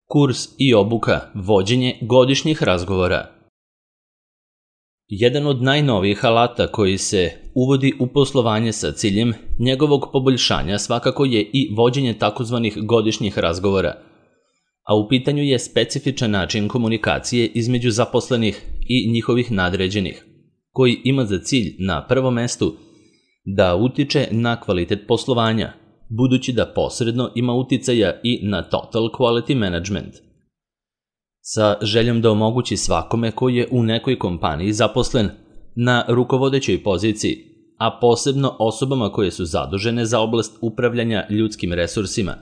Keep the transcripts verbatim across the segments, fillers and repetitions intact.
Kurs i obuka, vođenje godišnjih razgovora. Jedan od najnovijih alata koji se uvodi u poslovanje sa ciljem njegovog poboljšanja svakako je i vođenje takozvanih godišnjih razgovora, a u pitanju je specifičan način komunikacije između zaposlenih i njihovih nadređenih, koji ima za cilj na prvom mestu da utiče na kvalitet poslovanja, budući da posredno ima uticaja i na total quality management. Sa željom da omogući svakome koji je u nekoj kompaniji zaposlen na rukovodećoj poziciji, a posebno osobama koje su zadužene za oblast upravljanja ljudskim resursima,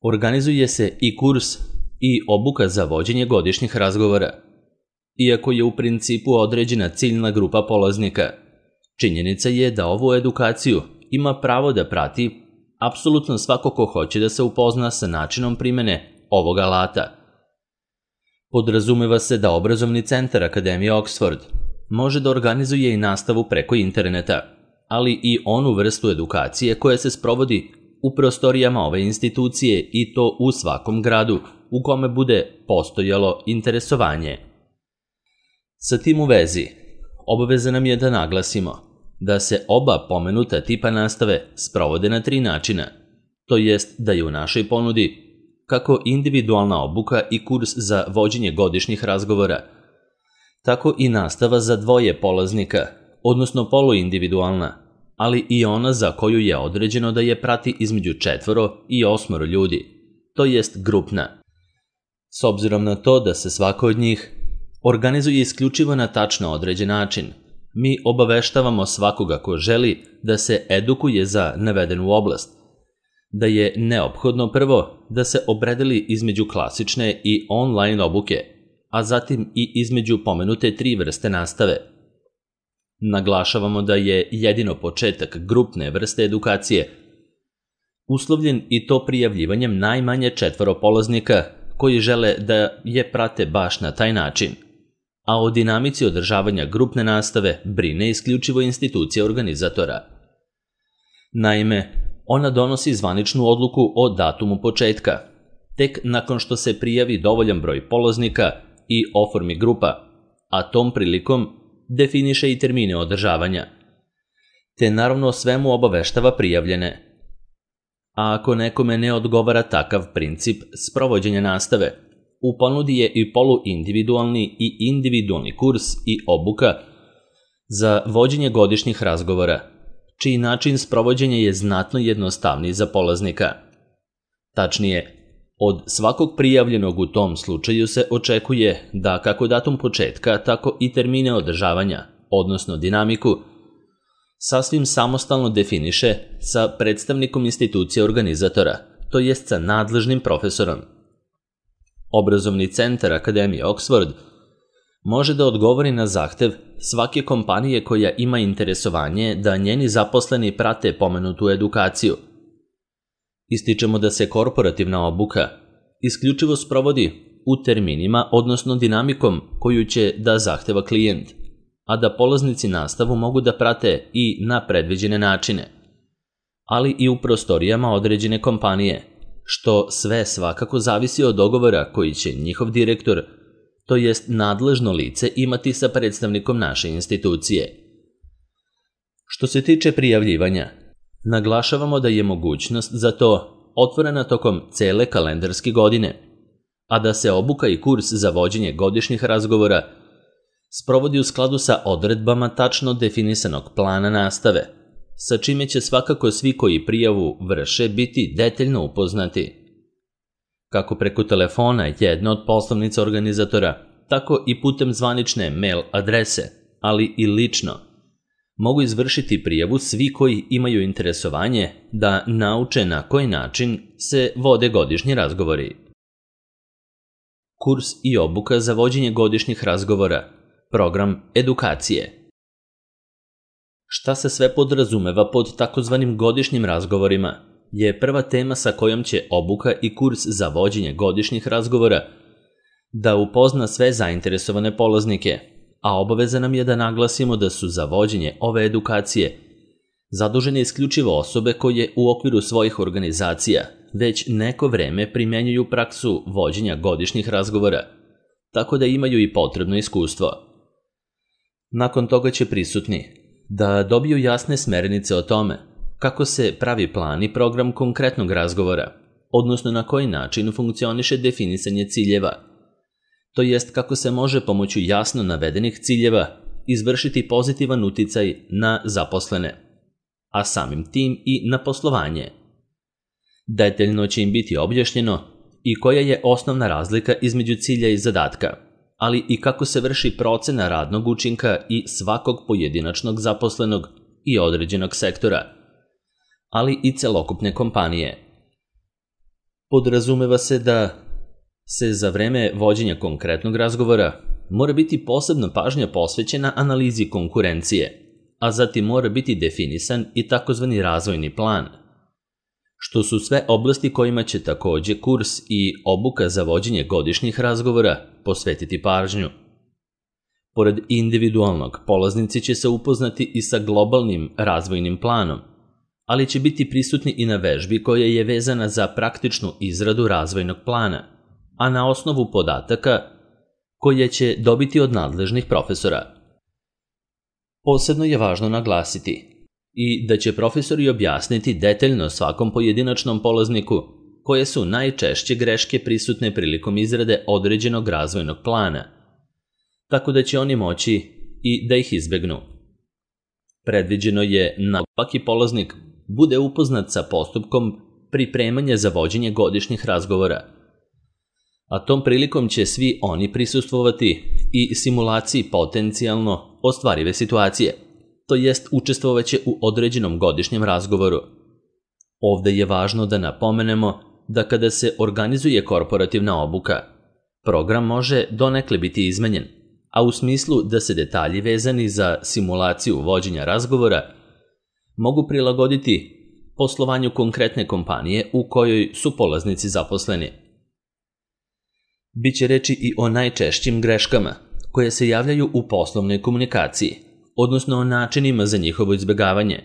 organizuje se i kurs i obuka za vođenje godišnjih razgovora. Iako je u principu određena ciljna grupa polaznika, činjenica je da ovu edukaciju ima pravo da prati apsolutno svako ko hoće da se upozna sa načinom primene ovog alata. Podrazumeva se da obrazovni centar Akademije Oxford može da organizuje i nastavu preko interneta, ali i onu vrstu edukacije koja se sprovodi u prostorijama ove institucije i to u svakom gradu u kome bude postojalo interesovanje. Sa tim u vezi, obaveza nam je da naglasimo da se oba pomenuta tipa nastave sprovode na tri načina, to jest da je u našoj ponudi kako individualna obuka i kurs za vođenje godišnjih razgovora, tako i nastava za dvoje polaznika, odnosno poluindividualna, ali i ona za koju je određeno da je prati između četvoro i osmoro ljudi, to jest grupna. S obzirom na to da se svako od njih organizuje isključivo na tačno određen način, mi obaveštavamo svakoga ko želi da se edukuje za navedenu oblast, da je neophodno prvo da se opredeli između klasične i online obuke, a zatim i između pomenute tri vrste nastave. Naglašavamo da je jedino početak grupne vrste edukacije uslovljen i to prijavljivanjem najmanje četvoro polaznika koji žele da je prate baš na taj način, a o dinamici održavanja grupne nastave brine isključivo institucija organizatora. Naime, ona donosi zvaničnu odluku o datumu početka, tek nakon što se prijavi dovoljan broj polaznika i oformi grupa, a tom prilikom definiše i termine održavanja, te naravno svemu obaveštava prijavljene. A ako nekome ne odgovara takav princip sprovođenja nastave, u ponudi je i poluindividualni i individualni kurs i obuka za vođenje godišnjih razgovora, čiji način sprovođenja je znatno jednostavniji za polaznika. Tačnije, od svakog prijavljenog u tom slučaju se očekuje da kako datum početka, tako i termine održavanja, odnosno dinamiku, sasvim samostalno definiše sa predstavnikom institucije organizatora, to jest sa nadležnim profesorom. Obrazovni centar Akademije Oxford može da odgovori na zahtev svake kompanije koja ima interesovanje da njeni zaposleni prate pomenutu edukaciju. Ističemo da se korporativna obuka isključivo sprovodi u terminima, odnosno dinamikom koju će da zahteva klijent, a da polaznici nastavu mogu da prate i na predviđene načine, ali i u prostorijama određene kompanije, što sve svakako zavisi od dogovora koji će njihov direktor, to jest nadležno lice, imati sa predstavnikom naše institucije. Što se tiče prijavljivanja, naglašavamo da je mogućnost za to otvorena tokom cele kalendarske godine, a da se obuka i kurs za vođenje godišnjih razgovora sprovodi u skladu sa odredbama tačno definisanog plana nastave, sa čime će svakako svi koji prijavu vrše biti detaljno upoznati. Kako preko telefona jedna od poslovnica organizatora, tako i putem zvanične mail adrese, ali i lično, mogu izvršiti prijavu svi koji imaju interesovanje da nauče na koji način se vode godišnji razgovori. Kurs i obuka za vođenje godišnjih razgovora, program edukacije. Šta se sve podrazumeva pod takozvanim godišnjim razgovorima je prva tema sa kojom će obuka i kurs za vođenje godišnjih razgovora da upozna sve zainteresovane polaznike, a obaveza nam je da naglasimo da su za vođenje ove edukacije zadužene isključivo osobe koje u okviru svojih organizacija već neko vreme primjenjuju praksu vođenja godišnjih razgovora, tako da imaju i potrebno iskustvo. Nakon toga će prisutni da dobiju jasne smernice o tome kako se pravi plan i program konkretnog razgovora, odnosno na koji način funkcioniše definisanje ciljeva, to jest kako se može pomoću jasno navedenih ciljeva izvršiti pozitivan uticaj na zaposlene, a samim tim i na poslovanje. Detaljno će im biti objašnjeno i koja je osnovna razlika između cilja i zadatka, ali i kako se vrši procena radnog učinka i svakog pojedinačnog zaposlenog i određenog sektora, ali i celokupne kompanije. Podrazumeva se da se za vreme vođenja konkretnog razgovora mora biti posebna pažnja posvećena analizi konkurencije, a zatim mora biti definisan i takozvani razvojni plan, što su sve oblasti kojima će takođe kurs i obuka za vođenje godišnjih razgovora posvetiti pažnju. Pored individualnog, polaznici će se upoznati i sa globalnim razvojnim planom, ali će biti prisutni i na vežbi koja je vezana za praktičnu izradu razvojnog plana, a na osnovu podataka koje će dobiti od nadležnih profesora. Posebno je važno naglasiti i da će profesori objasniti detaljno svakom pojedinačnom polazniku koje su najčešće greške prisutne prilikom izrade određenog razvojnog plana, tako da će oni moći i da ih izbegnu. Predviđeno je da svaki polaznik bude upoznat sa postupkom pripremanja za vođenje godišnjih razgovora, a tom prilikom će svi oni prisustvovati i simulaciji potencijalno ostvarive situacije, to jest učestvovaće u određenom godišnjem razgovoru. Ovde je važno da napomenemo da kada se organizuje korporativna obuka, program može donekle biti izmenjen, a u smislu da se detalji vezani za simulaciju vođenja razgovora mogu prilagoditi poslovanju konkretne kompanije u kojoj su polaznici zaposleni. Biće reči i o najčešćim greškama koje se javljaju u poslovnoj komunikaciji, odnosno o načinima za njihovo izbjegavanje,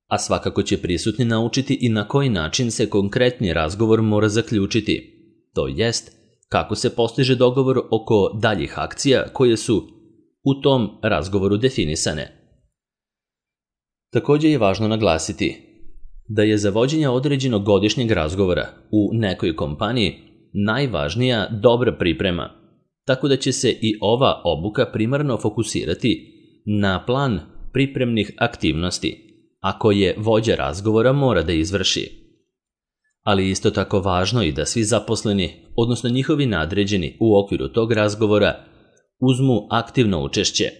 a svakako će prisutni naučiti i na koji način se konkretni razgovor mora zaključiti, to jest kako se postiže dogovor oko daljih akcija koje su u tom razgovoru definisane. Takođe je važno naglasiti da je za vođenje određenog godišnjeg razgovora u nekoj kompaniji najvažnija dobra priprema, tako da će se i ova obuka primarno fokusirati na plan pripremnih aktivnosti, a koje vođa razgovora mora da izvrši. Ali isto tako važno i da svi zaposleni, odnosno njihovi nadređeni u okviru tog razgovora, uzmu aktivno učešće,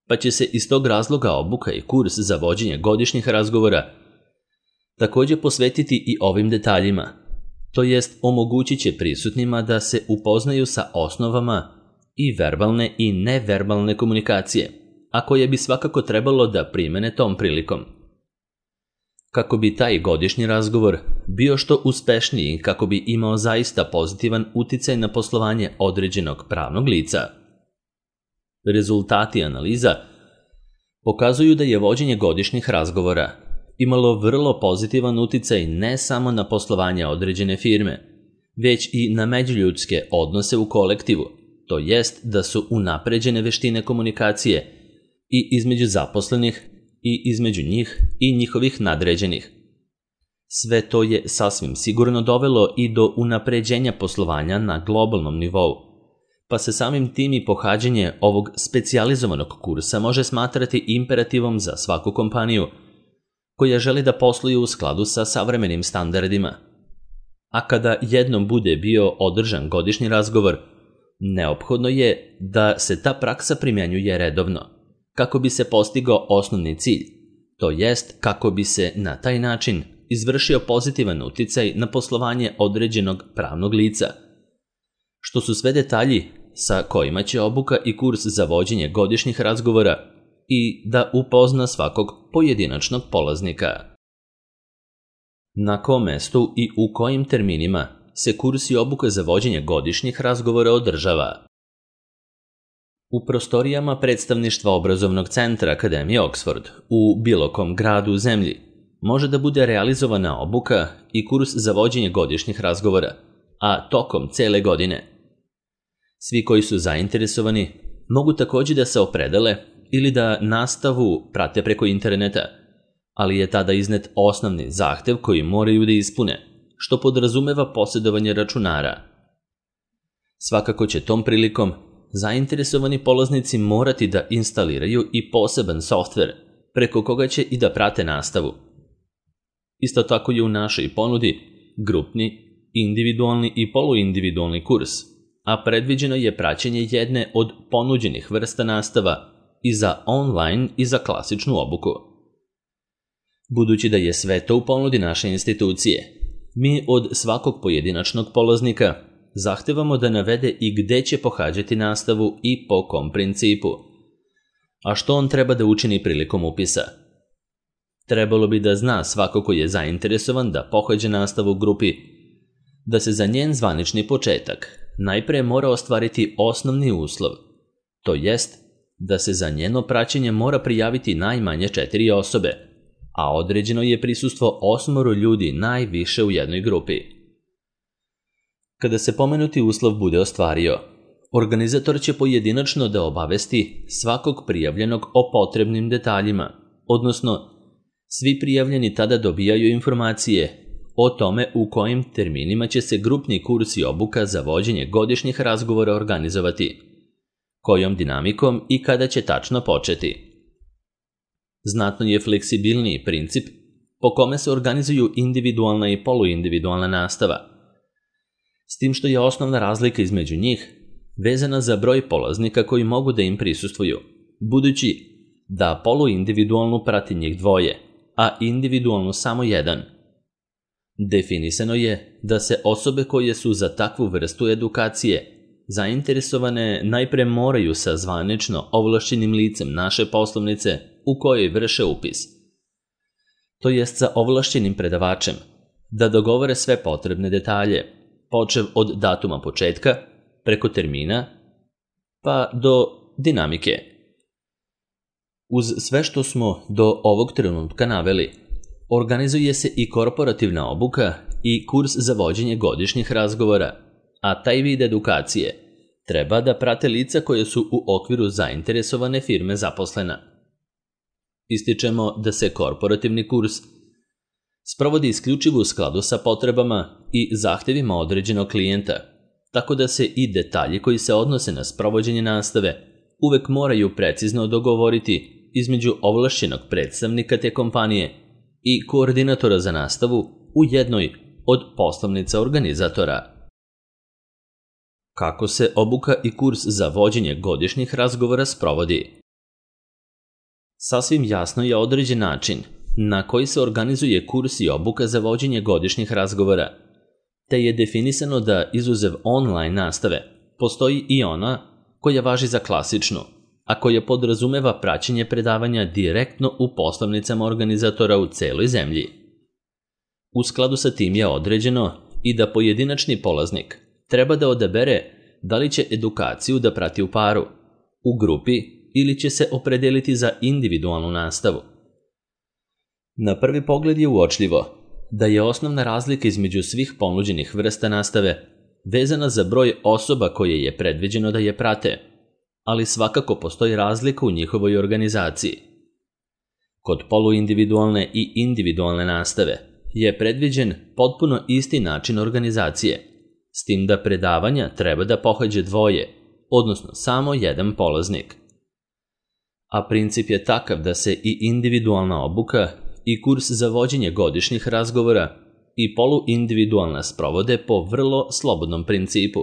pa će se iz tog razloga obuka i kurs za vođenje godišnjih razgovora takođe posvetiti i ovim detaljima, to jest omogućit će prisutnima da se upoznaju sa osnovama i verbalne i neverbalne komunikacije, a koje bi svakako trebalo da primene tom prilikom. Kako bi taj godišnji razgovor bio što uspešniji i kako bi imao zaista pozitivan uticaj na poslovanje određenog pravnog lica. Rezultati analiza pokazuju da je vođenje godišnjih razgovora imalo vrlo pozitivan uticaj ne samo na poslovanje određene firme, već i na međuljudske odnose u kolektivu, to jest da su unapređene veštine komunikacije i između zaposlenih i između njih i njihovih nadređenih. Sve to je sasvim sigurno dovelo i do unapređenja poslovanja na globalnom nivou, pa se samim tim i pohađanje ovog specijalizovanog kursa može smatrati imperativom za svaku kompaniju koja želi da posluje u skladu sa savremenim standardima. A kada jednom bude bio održan godišnji razgovor, neophodno je da se ta praksa primjenjuje redovno, kako bi se postigao osnovni cilj, to jest kako bi se na taj način izvršio pozitivan uticaj na poslovanje određenog pravnog lica, što su sve detalji sa kojima će obuka i kurs za vođenje godišnjih razgovora i da upozna svakog pojedinačnog polaznika. Na kom mestu i u kojim terminima se kurs i obuka za vođenje godišnjih razgovora održava? U prostorijama predstavništva obrazovnog centra Akademije Oxford u bilo kom gradu u zemlji može da bude realizovana obuka i kurs za vođenje godišnjih razgovora, a tokom cele godine. Svi koji su zainteresovani mogu također da se opredele ili da nastavu prate preko interneta, ali je tada iznet osnovni zahtev koji moraju da ispune, što podrazumeva posjedovanje računara. Svakako će tom prilikom zainteresovani polaznici morati da instaliraju i poseban softver preko koga će i da prate nastavu. Isto tako je u našoj ponudi grupni, individualni i poluindividualni kurs, a predviđeno je praćenje jedne od ponuđenih vrsta nastava i za online i za klasičnu obuku. Budući da je sve to u ponudi naše institucije, mi od svakog pojedinačnog polaznika zahtevamo da navede i gde će pohađati nastavu i po kom principu, a što on treba da učini prilikom upisa. Trebalo bi da zna svako ko je zainteresovan da pohađa nastavu u grupi, da se za njen zvanični početak najpre mora ostvariti osnovni uslov, to jest da se za njeno praćenje mora prijaviti najmanje četiri osobe, a određeno je prisustvo osmoro ljudi najviše u jednoj grupi. Kada se pomenuti uslov bude ostvario, organizator će pojedinačno da obavesti svakog prijavljenog o potrebnim detaljima, odnosno svi prijavljeni tada dobijaju informacije o tome u kojim terminima će se grupni kurs i obuka za vođenje godišnjih razgovora organizovati, kojom dinamikom i kada će tačno početi. Znatno je fleksibilniji princip po kome se organizuju individualna i poluindividualna nastava, s tim što je osnovna razlika između njih vezana za broj polaznika koji mogu da im prisustvuju, budući da poluindividualnu prati njih dvoje, a individualnu samo jedan. Definisano je da se osobe koje su za takvu vrstu edukacije zainteresovane najpre moraju sa zvanično ovlašćenim licem naše poslovnice u kojoj vrše upis, to jest sa ovlašćenim predavačem, da dogovore sve potrebne detalje, počev od datuma početka, preko termina, pa do dinamike. Uz sve što smo do ovog trenutka naveli, organizuje se i korporativna obuka i kurs za vođenje godišnjih razgovora, a taj vid edukacije treba da prate lica koje su u okviru zainteresovane firme zaposlena. Ističemo da se korporativni kurs sprovodi isključivo u skladu sa potrebama i zahtevima određenog klijenta, tako da se i detalji koji se odnose na sprovođenje nastave uvek moraju precizno dogovoriti između ovlašćenog predstavnika te kompanije i koordinatora za nastavu u jednoj od poslovnica organizatora. Kako se obuka i kurs za vođenje godišnjih razgovora sprovodi? Sasvim jasno je određen način na koji se organizuje kurs i obuka za vođenje godišnjih razgovora, te je definisano da izuzev online nastave postoji i ona koja važi za klasičnu, a koja podrazumeva praćenje predavanja direktno u poslovnicama organizatora u celoj zemlji. U skladu sa tim je određeno i da pojedinačni polaznik treba da odabere da li će edukaciju da prati u paru, u grupi ili će se opredeliti za individualnu nastavu. Na prvi pogled je uočljivo da je osnovna razlika između svih ponuđenih vrsta nastave vezana za broj osoba koje je predviđeno da je prate, ali svakako postoji razlika u njihovoj organizaciji. Kod poluindividualne i individualne nastave je predviđen potpuno isti način organizacije, s tim da predavanja treba da pohađe dvoje, odnosno samo jedan polaznik. A princip je takav da se i individualna obuka i kurs za vođenje godišnjih razgovora i poluindividualna sprovode po vrlo slobodnom principu,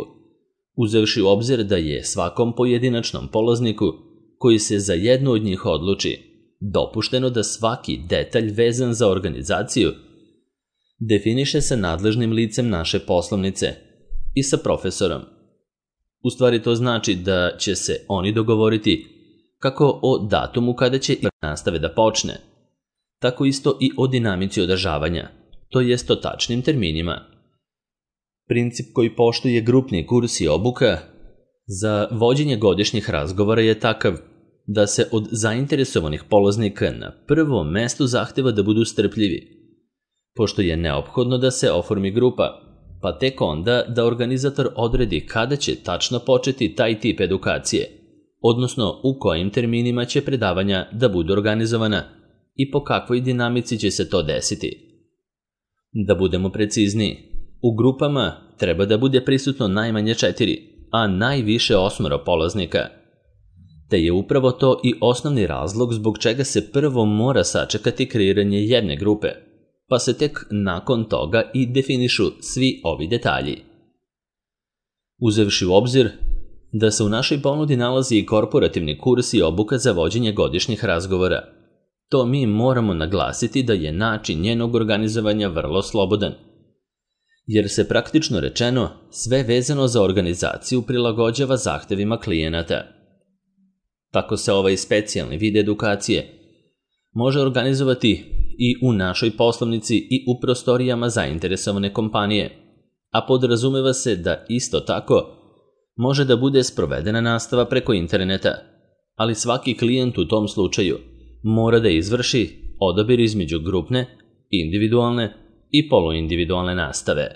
uzevši u obzir da je svakom pojedinačnom polazniku koji se za jednu od njih odluči dopušteno da svaki detalj vezan za organizaciju definiše sa nadležnim licem naše poslovnice i sa profesorom. U stvari to znači da će se oni dogovoriti kako o datumu kada će nastave da počne, tako isto i o dinamici održavanja, to jest o tačnim terminima. Princip koji poštuje grupni kurs i obuka za vođenje godišnjih razgovora je takav da se od zainteresovanih polaznika na prvom mestu zahteva da budu strpljivi, pošto je neophodno da se oformi grupa, pa tek onda da organizator odredi kada će tačno početi taj tip edukacije, odnosno u kojim terminima će predavanja da budu organizovana i po kakvoj dinamici će se to desiti. Da budemo precizniji, u grupama treba da bude prisutno najmanje četiri, a najviše osmoro polaznika. Te je upravo to i osnovni razlog zbog čega se prvo mora sačekati kreiranje jedne grupe, pa se tek nakon toga i definišu svi ovi detalji. Uzevši u obzir da se u našoj ponudi nalazi i korporativni kurs i obuka za vođenje godišnjih razgovora, to mi moramo naglasiti da je način njenog organizovanja vrlo slobodan, jer se praktično rečeno sve vezano za organizaciju prilagođava zahtevima klijenata. Tako se ovaj specijalni vid edukacije može organizovati i u našoj poslovnici i u prostorijama zainteresovane kompanije, a podrazumeva se da isto tako može da bude sprovedena nastava preko interneta, ali svaki klijent u tom slučaju mora da izvrši odabir između grupne, individualne i poluindividualne nastave.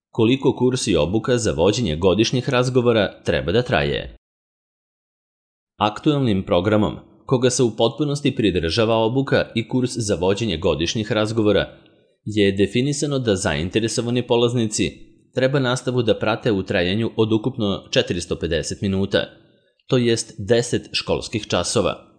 Koliko kurs i obuka za vođenje godišnjih razgovora treba da traje? Aktuelnim programom, koga se u potpunosti pridržava obuka i kurs za vođenje godišnjih razgovora, je definisano da zainteresovani polaznici treba nastavu da prate u trajanju od ukupno četiristo pedeset minuta, to jest deset školskih časova.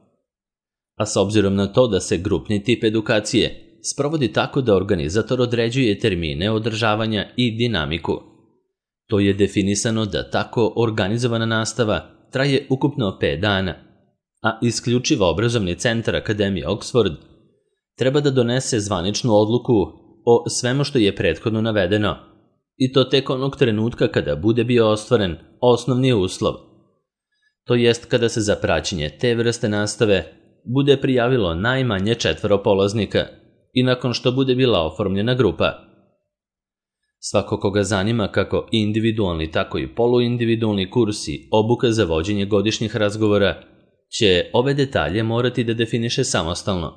A s obzirom na to da se grupni tip edukacije sprovodi tako da organizator određuje termine održavanja i dinamiku, to je definisano da tako organizovana nastava traje ukupno pet dana, a isključivo obrazovni centar Akademije Oxford treba da donese zvaničnu odluku o svemu što je prethodno navedeno, i to tek onog trenutka kada bude bio ostvaren osnovni uslov, to jest kada se za praćenje te vrste nastave bude prijavilo najmanje četvoro polaznika i nakon što bude bila oformljena grupa. Svako koga zanima kako individualni, tako i poluindividualni kurs i obuka za vođenje godišnjih razgovora će ove detalje morati da definiše samostalno,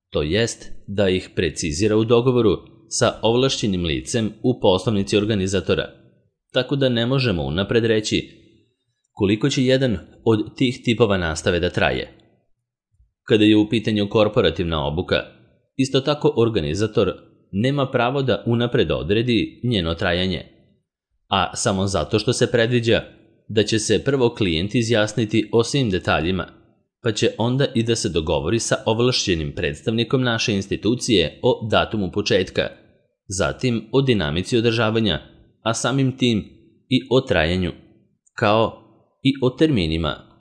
to jest da ih precizira u dogovoru sa ovlašćenim licem u poslovnici organizatora, tako da ne možemo unapred reći koliko će jedan od tih tipova nastave da traje. Kada je u pitanju korporativna obuka, isto tako organizator nema pravo da unapred odredi njeno trajanje, a samo zato što se predviđa da će se prvo klijent izjasniti o svim detaljima, pa će onda i da se dogovori sa ovlašćenim predstavnikom naše institucije o datumu početka, zatim o dinamici održavanja, a samim tim i o trajanju, kao i o terminima